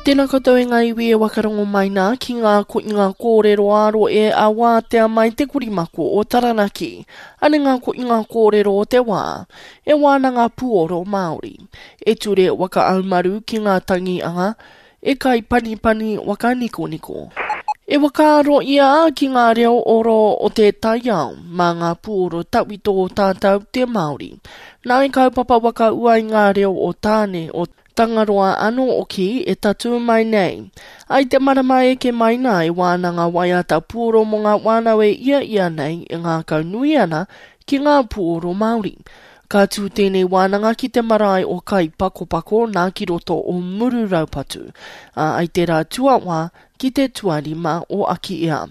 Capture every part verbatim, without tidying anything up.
Tēnā koutou e ngā iwi e wakarongo mai nā ki ngā koinga kōrero āro e a wātea mai te korimako o Taranaki. Ane ngā koinga kōrero o te wā, e wānanga puoro Māori, e ture waka aumaru ki ngā tangianga, e kai panipani waka nikoniko. E wakaaro ia ki ngā reo oro o te taiao, mā ngā puoro tawhito o tātou te Māori. Nā i kaupapa waka ua i ngā reo o Tāne, o Tangaroa anō oki e tatū mai nei. Ai te marama eke mai nā e wānanga waiata puoro mō ngā wānau e ia ia nei e ngākau nui ana ki ngā puoro Māori. Ka tū tēnei wānanga ki te marae o Kaipakopako nā ki roto o Muru Raupatu. A ai te rā tuawā ki te tuarima o Akiea.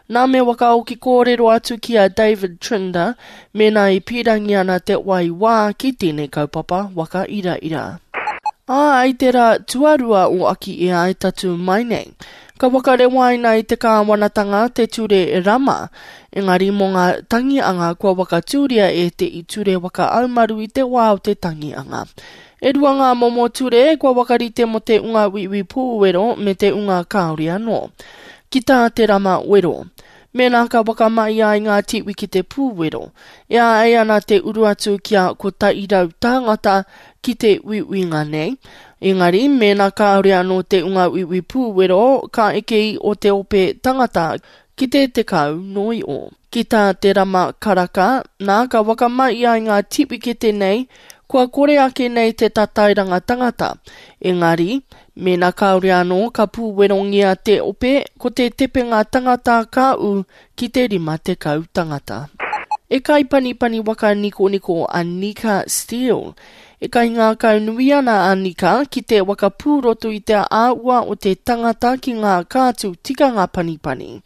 Nā me wakaoki kōrero atu ki a David Trinder, mēnā i pīrangi ana te wai wā ki tēnei kaupapa waka ira ira. Ā, ai te rā tuarua o Akiea e tatū mai nei. Ka whakarewaina i te kāwanatanga te ture rama, engari mō ngā tangianga kua whakatūria e te i ture whakaaumaru i te wā o te tangianga. E rua ngā momo ture kua whakarite mō te unga uiui pūwero me te unga kāore anō. Ki tā te rama wero. Mēnā ka whakamahia ai ngā tiwi ki te pūwero, e āhei ana te uru atu kia kotahi rau tāngata ki te uiuinga nei. Engari, mēnā kāore anō te unga uiui pūwero, ka eke i o te ope tangata ki te tekau noio. Ki tā te rama karaka, nā ka whakamahia ai ngā tiwikete nei, kua kore ake nei te tatairanga tangata. Engari, mēnā kāore anō ka pūwerongia te ope, ko te tepenga tangata ka ū ki te rima tekau tangata. E kaipanipani waka nikoniko a Nika Steele. E kaingākau nui ana a Nika ki te waka pūroto i te āhua o te tangata ki ngā kātū tikanga panipani.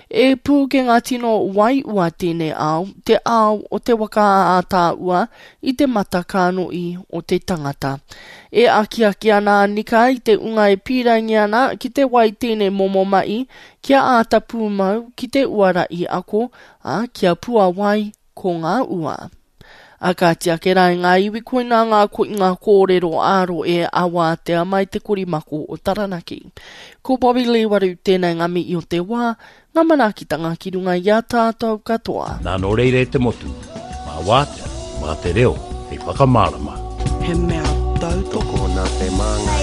E pūkenga tino waiua tēnei ao, te ao o te waka ātāua i te mata kānoī o te tangata. E akiaki ana a Nika i te unga e pīrangi ana ki te wai tēnei momo mahi kia āta pūmau ki te uara i ako, ā, kia puawai ko ngā ua. A kāti ake rā i ngā iwi koinā ngā koinga kōrero āro e awātea mai te korimako o Taranaki. Ko Bobby Lee Waru tēnei ngā mihi o te wā, ngā manaakitanga ki runga i a tātou katoa. Nā nō reira e te motu, mā wātea, mā te reo, hei whakamārama. He mea tautoko Tokona te māngai.